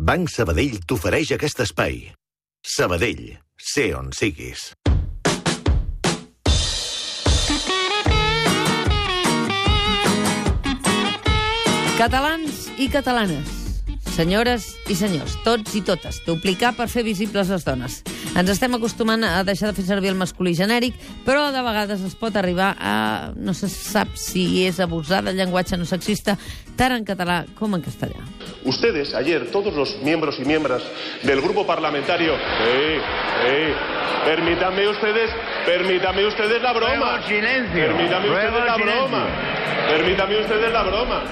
Banc Sabadell t'ofereix aquest espai. Sabadell, sé on siguis. Catalans i catalanes, senyores i senyors, tots i totes, duplicar per fer visibles les dones. Ens estem acostumant a deixar de fer servir el masculí genèric, però de vegades es pot arribar a... no se sap si és abusar del llenguatge no sexista, tant en català com en castellà. Ustedes, ayer, todos los miembros y miembros del grupo parlamentario... Permítanme ustedes la broma. Permítanme ustedes la broma.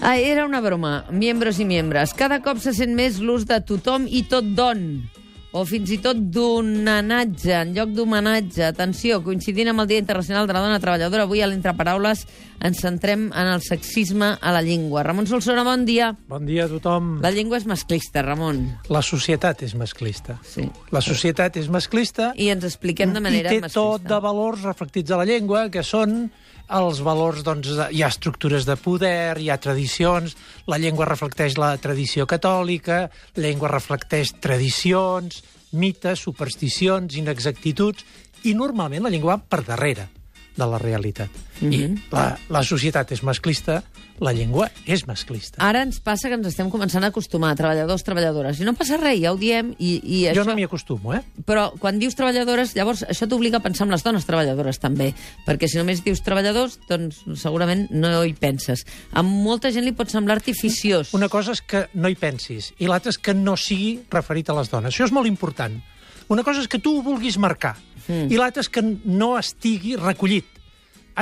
Era una broma. Miembros i membres. Cada cop se sent més l'ús de tothom i tot don, o fins i tot d'onanatge, en lloc d'homenatge. Atenció, coincidint amb el Dia Internacional de la Dona Treballadora, avui a l'Entreparaules ens centrem en el sexisme a la llengua. Ramon Solsona, bon dia. Bon dia a tothom. La llengua és masclista, Ramon. La societat és masclista. Sí. La societat és masclista. I ens expliquem de manera masclista. I té tot de valors reflectits a la llengua, que són els valors, doncs, hi ha estructures de poder, hi ha tradicions, la llengua reflecteix la tradició catòlica, la llengua reflecteix tradicions, mites, supersticions, inexactituds, i normalment la llengua va per darrere de la realitat. I la societat és masclista, la llengua és masclista. Ara ens passa que ens estem començant a acostumar, treballadors, treballadores, i no passa res, ja ho diem, i això... Jo no m'hi acostumo, Però quan dius treballadores, llavors això t'obliga a pensar en les dones treballadores també, perquè si només dius treballadors, doncs segurament no hi penses. A molta gent li pot semblar artificiós. Una cosa és que no hi pensis, i l'altra és que no sigui referit a les dones. Això és molt important. Una cosa és que tu ho vulguis marcar, i l'altra és que no estigui recollit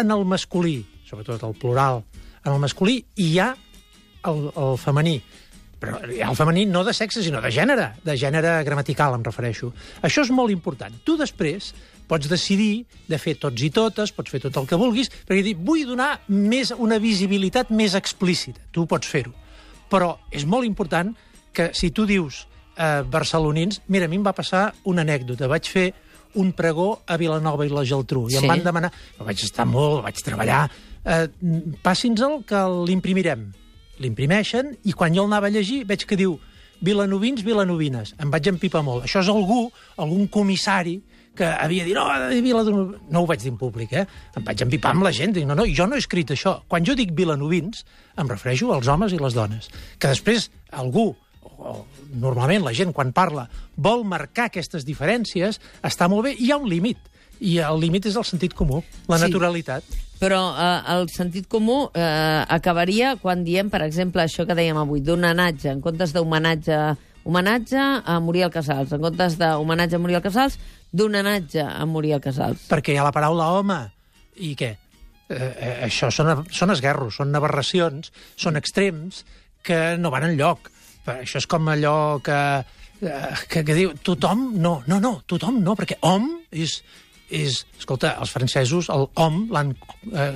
en el masculí, sobretot el plural. En el masculí hi ha el femení, però hi ha el femení no de sexe, sinó de gènere gramatical, em refereixo. Això és molt important. Tu després pots decidir de fer tots i totes, pots fer tot el que vulguis, perquè dir, vull donar una visibilitat més explícita. Tu pots fer-ho. Però és molt important que si tu dius barcelonins... Mira, a mi em va passar una anècdota. Vaig fer un pregó a Vilanova i la Geltrú. I em van demanar... Vaig estar molt, vaig treballar... Passi'ns-el que l'imprimirem. L'imprimeixen i quan jo el anava a llegir veig que diu vilanovins, vilanovines. Em vaig empipar molt. Això és algun comissari que havia dit no ho vaig dir en públic, Em vaig empipar amb la gent. Dic, no, jo no he escrit això. Quan jo dic vilanovins, em refereixo als homes i les dones. Que després algú, o normalment la gent quan parla, vol marcar aquestes diferències, està molt bé, hi ha un límit. I el límit és el sentit comú, la naturalitat. Però el sentit comú acabaria quan diem, per exemple, això que dèiem avui, d'homenatge, en comptes d'homenatge a Muriel Casals, en comptes d'homenatge a Muriel Casals, d'homenatge a Muriel Casals. Perquè hi ha la paraula home, i què? Això són esguerros, són aberracions, són extrems que no van enlloc. Això és com allò que diu tothom no, tothom no, perquè hom és... Escolta, els francesos el hom l'han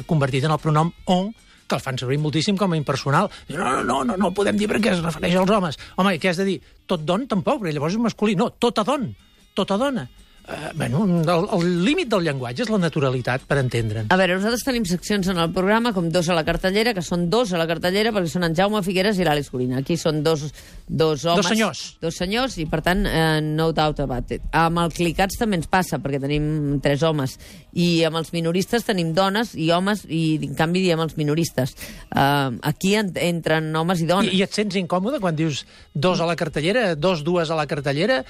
convertit en el pronom on, que el fan servir moltíssim com a impersonal. No podem dir perquè es refereix als homes. Home, què has de dir? Tot don tampoc, perquè llavors és masculí. No, tota dona. El límit del llenguatge és la naturalitat, per entendre'ns. A veure, nosaltres tenim seccions en el programa, com Dos a la cartellera, que són dos a la cartellera perquè són en Jaume Figueres i l'Àlex Corina. Aquí són dos homes. Dos senyors, i per tant, no doubt about it. Amb el Clicats també ens passa, perquè tenim 3 homes. I amb els minoristes tenim dones i homes, i en canvi diem els minoristes. Aquí entren homes i dones. I et sents incòmode quan dius dos a la cartellera, dues a la cartellera,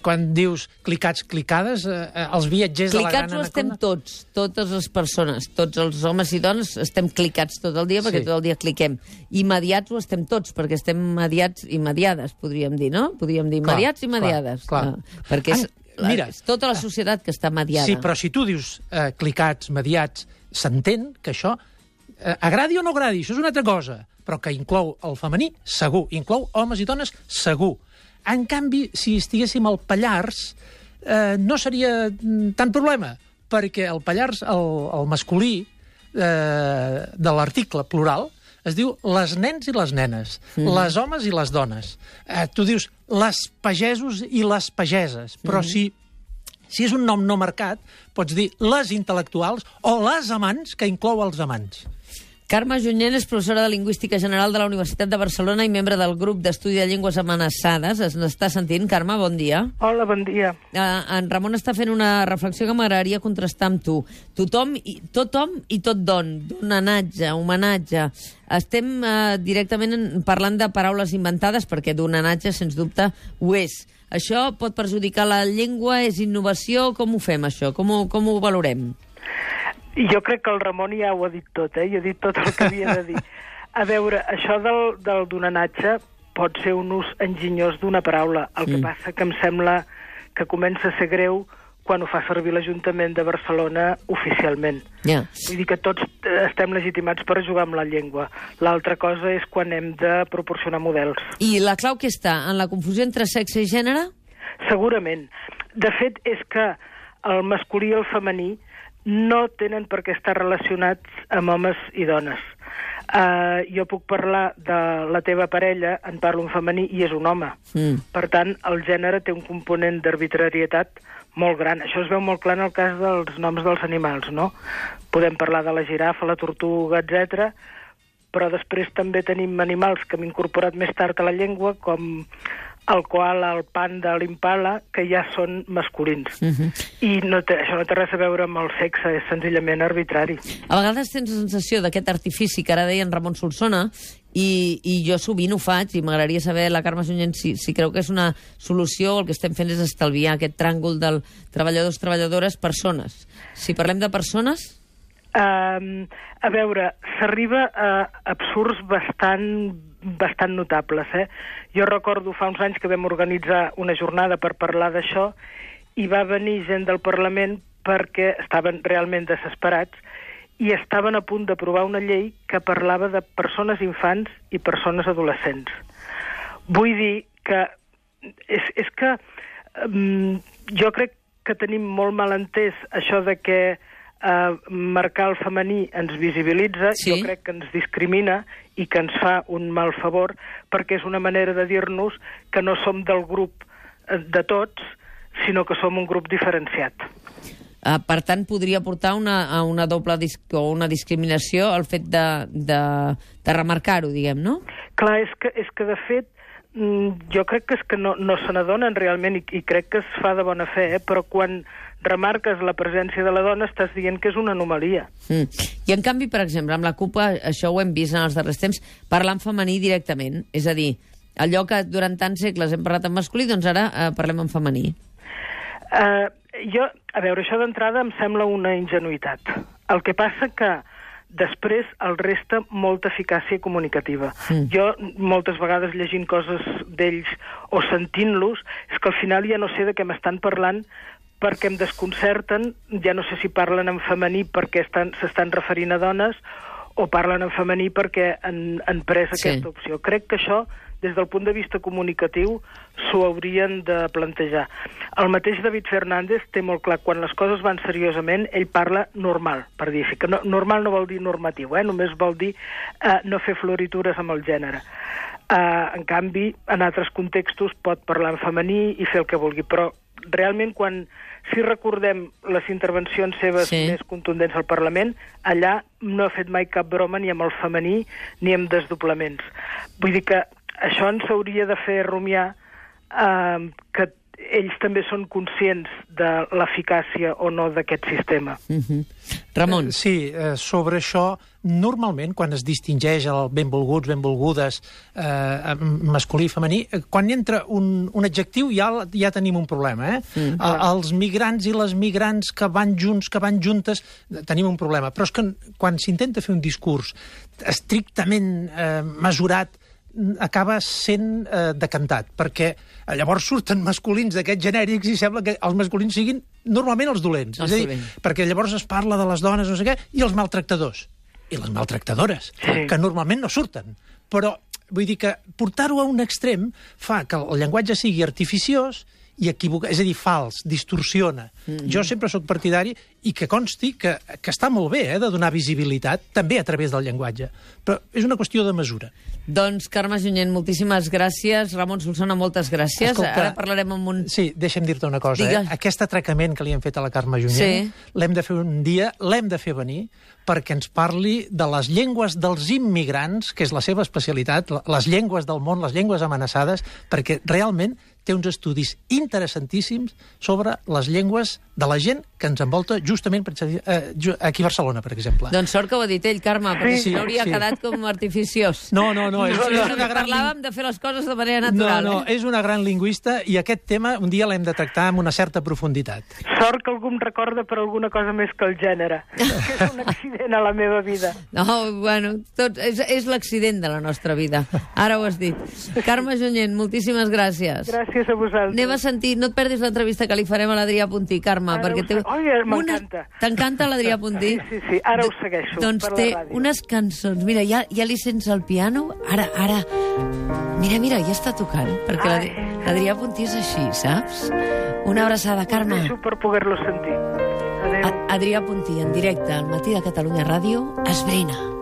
quan dius clicats, els viatgers de la gran anaconda... Clicats ho estem tots, totes les persones, tots els homes i dones estem clicats tot el dia, perquè tot el dia cliquem. Immediats ho estem tots, perquè estem mediats i mediades, podríem dir, no? Podríem dir mediats i mediades. Clar. Perquè és tota la societat que està mediada. Sí, però si tu dius clicats, mediats, s'entén que això agradi o no agradi, això és una altra cosa, però que inclou el femení, segur. Inclou homes i dones, segur. En canvi, si estiguéssim al Pallars, no seria tant problema, perquè el Pallars, el masculí de l'article plural, es diu les nens i les nenes, les homes i les dones. Tu dius les pagesos i les pageses, però si és un nom no marcat, pots dir les intel·lectuals o les amants, que inclou els amants. Carme Junyent és professora de Lingüística General de la Universitat de Barcelona i membre del grup d'estudi de llengües amenaçades. Es n'està sentint, Carme? Bon dia. Hola, bon dia. En Ramon està fent una reflexió que m'agradaria contrastar amb tu. Tothom i tot donanatge, homenatge. Estem directament parlant de paraules inventades, perquè donanatge, sens dubte, ho és. Això pot perjudicar la llengua? És innovació? Com ho fem, això? Com ho valorem? Jo crec que el Ramon ja ho ha dit tot, ja ha dit tot el que havia de dir. A veure, això del donanatge pot ser un ús enginyós d'una paraula. El que passa que em sembla que comença a ser greu quan ho fa servir l'Ajuntament de Barcelona oficialment. Vull dir que tots estem legitimats per jugar amb la llengua. L'altra cosa és quan hem de proporcionar models. I la clau que està? En la confusió entre sexe i gènere? Segurament. De fet, és que el masculí i el femení no tenen per què estar relacionats amb homes i dones. Jo puc parlar de la teva parella, en parlo en femení, i és un home. Per tant, el gènere té un component d'arbitrarietat molt gran. Això es veu molt clar en el cas dels noms dels animals, no? Podem parlar de la girafa, la tortuga, etc. Però després també tenim animals que hem incorporat més tard a la llengua, com el koala, el panda, l'impala, que ja són masculins. I això no té res a veure amb el sexe, és senzillament arbitrari. A vegades tens la sensació d'aquest artifici que ara deia en Ramon Solsona, i jo sovint ho faig, i m'agradaria saber, la Carme Junyent, si creu que és una solució, el que estem fent és estalviar aquest tràngol del treballadors, treballadores, persones. Si parlem de persones... A veure, s'arriba a absurds bastant notables. Jo recordo fa uns anys que vam organitzar una jornada per parlar d'això i va venir gent del Parlament perquè estaven realment desesperats i estaven a punt d'aprovar una llei que parlava de persones infants i persones adolescents. Vull dir que és que jo crec que tenim molt mal entès això de que marcar el femení ens visibilitza, jo crec que ens discrimina i que ens fa un mal favor, perquè és una manera de dir-nos que no som del grup de tots, sinó que som un grup diferenciat. Per tant, podria portar a una doble o una discriminació el fet de remarcar-ho, diguem, no? Clar, és que de fet, jo crec que és que no se n'adonen realment i crec que es fa de bona fe, però quan remarques la presència de la dona estàs dient que és una anomalia. I en canvi, per exemple, amb la CUP, això ho hem vist en els darrers temps, parlar en femení directament. És a dir, allò que durant tants segles hem parlat en masculí, doncs ara parlem en femení. A veure, això d'entrada em sembla una ingenuïtat. El que passa que després el resta molta eficàcia comunicativa. Jo, moltes vegades llegint coses d'ells o sentint-los, és que al final ja no sé de què m'estan parlant perquè em desconcerten, ja no sé si parlen en femení perquè s'estan referint a dones o parlen en femení perquè han pres aquesta opció. Crec que això, des del punt de vista comunicatiu, s'ho haurien de plantejar. El mateix David Fernández té molt clar, quan les coses van seriosament, ell parla normal, per dir que normal no vol dir normatiu, només vol dir no fer floritures amb el gènere. En canvi, en altres contextos pot parlar en femení i fer el que vulgui, però realment si recordem les intervencions seves més contundents al Parlament, allà no ha fet mai cap broma ni amb el femení ni amb desdoblaments. Vull dir que això ens hauria de fer rumiar que ells també són conscients de l'eficàcia o no d'aquest sistema. Ramon. Sí, sobre això, normalment, quan es distingeix el benvolguts, benvolgudes, masculí i femení, quan entra un adjectiu ja tenim un problema. Els migrants i les migrants que van junts, que van juntes, tenim un problema. Però és que quan s'intenta fer un discurs estrictament mesurat, acaba sent decantat, perquè llavors surten masculins d'aquests genèrics i sembla que els masculins siguin normalment els dolents. És a dir, perquè llavors es parla de les dones, no sé què, i els maltractadors. I les maltractadores, que normalment no surten. Però vull dir que portar-ho a un extrem fa que el llenguatge sigui artificiós i equivoca, és a dir, fals, distorsiona. Jo sempre sóc partidari, i que consti que està molt bé de donar visibilitat, també a través del llenguatge, però és una qüestió de mesura. Doncs, Carme Junyent, moltíssimes gràcies. Ramon Solsona, moltes gràcies. Escolta, ara parlarem amb un... Sí, deixa'm dir-te una cosa. Aquest atracament que li hem fet a la Carme Junyent, l'hem de fer un dia, l'hem de fer venir, perquè ens parli de les llengües dels immigrants, que és la seva especialitat, les llengües del món, les llengües amenaçades, perquè realment té uns estudis interessantíssims sobre les llengües de la gent que ens envolta justament aquí a Barcelona, per exemple. Doncs sort que ho ha dit ell, Carme, perquè si no hauria quedat com artificiós. No, és una gran... Parlàvem de fer les coses de manera natural. No, és una gran lingüista i aquest tema un dia l'hem de tractar amb una certa profunditat. Sort que algú em recorda per alguna cosa més que el gènere, que és un accident a la meva vida. No, bueno, és l'accident de la nostra vida. Ara ho has dit. Carme Junyent, moltíssimes gràcies. Gràcies a vosaltres. Anem a sentir, no et perdis l'entrevista que li farem a l'Adrià Puntí, Carme, perquè té... m'encanta. T'encanta l'Adrià Puntí? Sí, ara ho segueixo doncs per la ràdio. Doncs té unes cançons, mira, ja li sents el piano, ara, mira, ja està tocant, perquè l'Adrià Puntí és així, saps? Una abraçada, Carme. Deixo per poder-lo sentir. Adéu. Adrià Puntí, en directe al Matí de Catalunya Ràdio, Esbrina.